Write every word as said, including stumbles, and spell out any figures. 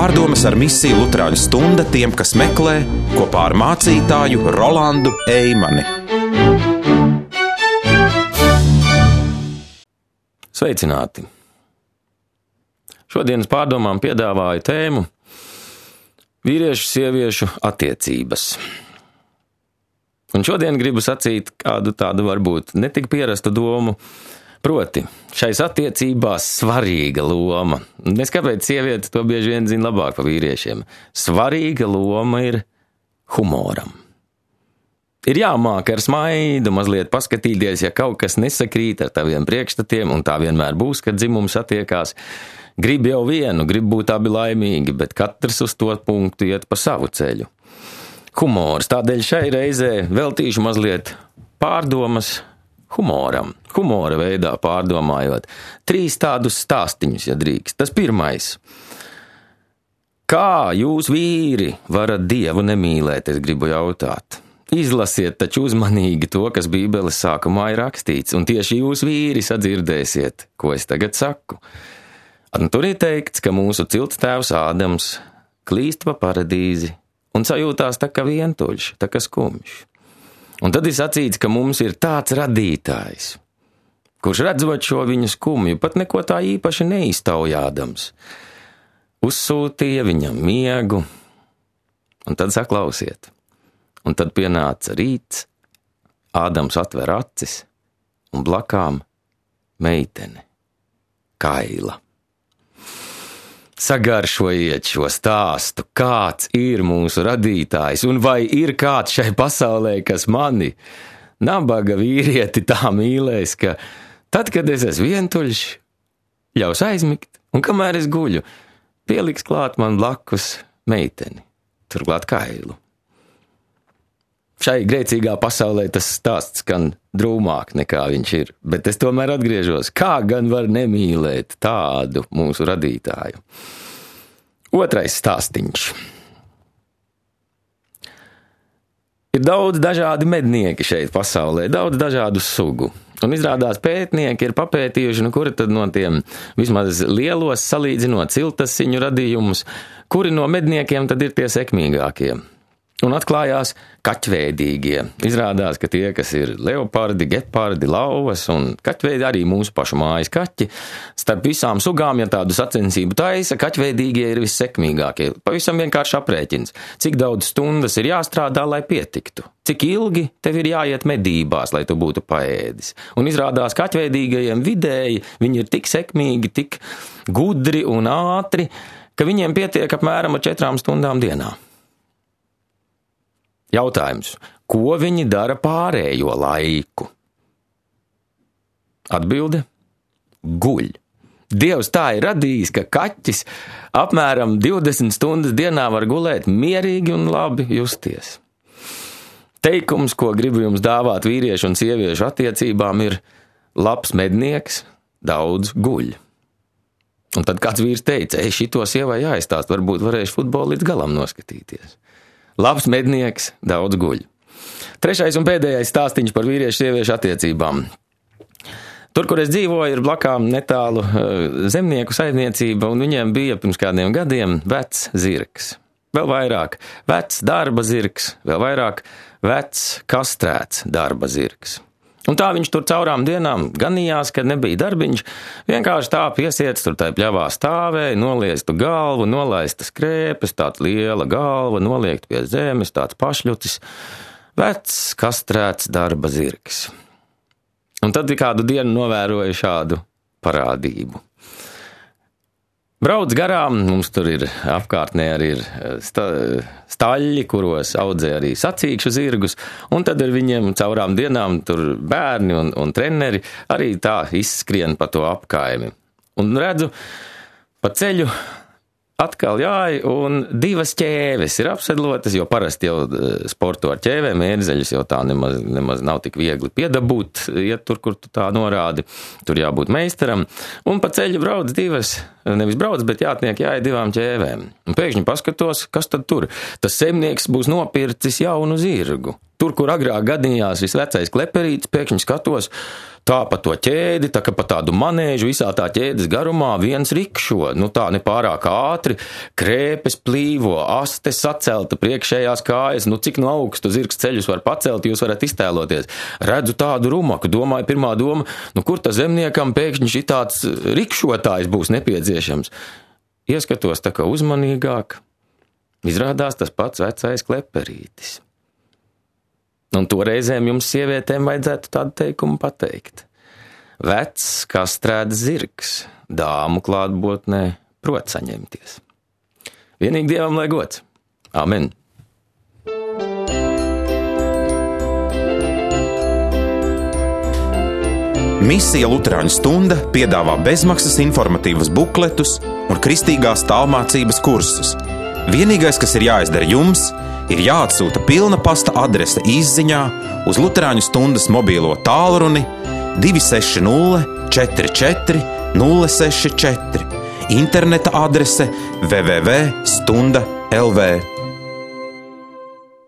Pārdomas ar misiju Luterāņu stunda tiem, kas meklē, kopā ar mācītāju Rolandu Eimani. Sveicināti! Šodienas pārdomām piedāvāju tēmu vīriešu sieviešu attiecības. Un šodien gribu sacīt kādu tādu varbūt netik pierastu domu, proti, šais attiecībās svarīga loma. Es kāpēc sieviete to bieži vien zina labāk par vīriešiem. Svarīga loma ir humoram. Ir jāmāk ar smaidu mazliet paskatīties, ja kaut kas nesakrīt ar taviem priekšstatiem, un tā vienmēr būs, kad dzimums attiekās. Grib jau vienu, grib būt abi laimīgi, bet katrs uz to punktu iet pa savu ceļu. Humors, tādēļ šai reizē veltīšu mazliet pārdomas humoram, humora veidā pārdomājot. Trīs tādus stāstiņus, ja drīkst. Tas pirmais. Kā jūs vīri varat Dievu nemīlēt, es gribu jautāt. Izlasiet taču uzmanīgi to, kas Bībeles sākumā ir rakstīts, un tieši jūs vīri sadzirdēsiet, ko es tagad saku. Un tur ir teikts, ka mūsu cilts tēvs Ādams klīst pa paradīzi un sajūtās tā kā vientuļš, tā kā skumjš. Un tad ir sacīts, ka mums ir tāds radītājs, kurš redzot šo viņa skumju, pat neko tā īpaši neiztaujādams, uzsūtīja viņam miegu, un tad saklausiet. Un tad pienāca rīts, Ādams atver acis, un blakām meitene, Kaila. Sagaršojiet šo stāstu, kāds ir mūsu radītājs, un vai ir kāds šai pasaulē, kas mani, nabaga vīrieti, tā mīlēs, ka tad, kad es esmu vientuļš, ļaus aizmigt, un kamēr es guļu, pieliks klāt man blakus meiteni, turklāt Kailu. Šai grēcīgā pasaulē tas stāsts skan drūmāk nekā viņš ir, bet es tomēr atgriežos, kā gan var nemīlēt tādu mūsu radītāju. Otrais stāstiņš. Ir daudz dažādi mednieki šeit pasaulē, daudz dažādu sugu. Un izrādās pētnieki ir papētījuši, nu kuri tad no tiem vismaz lielos salīdzinot ciltasiņu radījumus, kuri no medniekiem tad ir tie sekmīgākie. Un atklājās kaķveidīgie. Izrādās, ka tie, kas ir leopardi, gepardi, lauvas un kaķveidi, arī mūsu pašu mājas kaķi, starp visām sugām, ja tādu sacensību taisa, kaķveidīgie ir vissekmīgākie. Pavisam vienkārši aprēķins. Cik daudz stundas ir jāstrādā, lai pietiktu? Cik ilgi tev ir jāiet medībās, lai tu būtu paēdis? Un izrādās kaķveidīgajiem vidēji, viņi ir tik sekmīgi, tik gudri un ātri, ka viņiem pietiek apmēram ar četrām stundām dienā. Jautājums, ko viņi dara pārējo laiku? Atbilde – guļ. Dievs tā ir radījis, ka kaķis apmēram divdesmit stundas dienā var gulēt mierīgi un labi justies. Teikums, ko gribu jums dāvāt vīriešu un sieviešu attiecībām, ir labs mednieks, daudz guļ. Un tad kāds vīrs teica, ej, šito sievai jāizstāst, varbūt varēšu futbolu līdz galam noskatīties. Labs mednieks, daudz guļ. Trešais un pēdējais stāstiņš par vīriešu sieviešu attiecībām. Tur, kur es dzīvoju, ir blakām netālu zemnieku saimniecība, un viņiem bija pirms kādiem gadiem vecs zirgs. Vēl vairāk vecs darba zirgs, vēl vairāk vecs kastrēts darba zirgs. Un tā viņš tur caurām dienām ganījās, kad nebija darbiņš, vienkārši tā piesiets tur tai pļavā stāvēja, nolieztu galvu, nolaista skrēpes, tāds liela galva, noliekt pie zemes, tāds pašļucis, vecs, kastrēts darba zirgs. Un tad kādu dienu novēroja šādu parādību. Brauc garām, mums tur ir apkārtnē arī ir sta, staļļi, kuros audzē arī sacīkšu zirgus, un tad ar viņiem caurām dienām tur bērni un, un treneri arī tā izskrien pa to apkaimi. Un redzu, pa ceļu atkal jāj, un divas ķēves ir apsedlotas, jo parasti jau sporto ar ķēvēm, ērzeļus jau tā nemaz, nemaz nav tik viegli piedabūt, ja tur, kur tu tā norādi, tur jābūt meistaram. Un pa ceļu brauc divas, nevis brauc, bet jātniek jāj divām ķēvēm. Un pēkšņi paskatos, kas tad tur? Tas zemnieks būs nopircis jaunu zirgu. tur, kur agrāk gadījās šis vecais kleperītis, pēkšņi skatos, tā pa to ķēdi, tā kā pa tādu manēžu, visā tā ķēdes garumā viens rikšo, nu tā nepārāk ātri, krēpes plīvo, aste sacelta, priekšējās kājas, nu cik no augstu zirgs ceļus var pacelt, jūs varat iztēloties. Redzu tādu rumaku, domāju, pirmā doma, nu kur ta zemniekam pēkšņi šitāds rikšotājs būs nepieciešams. Ieskatos tā kā uzmanīgāk. Izrādās tas pats vecais kleperītis. Un toreizēm jums sievietēm vajadzētu tādu teikumu pateikt. Vecs kastrēts zirgs, dāmu klātbūtnē prot saņemties. Vienīgi Dievam lai gods. Amen. Misija Luterāņu stunda piedāvā bezmaksas informatīvus bukletus un kristīgās tālmācības kursus. Vienīgais, kas ir jāizdara jums, ir jāatsūta pilna pasta adrese izziņā uz Luterāņu stundas mobīlo tālruni divi seši nulle četri četri nulle seši četri, interneta adrese w w w punkt stunda punkt l v.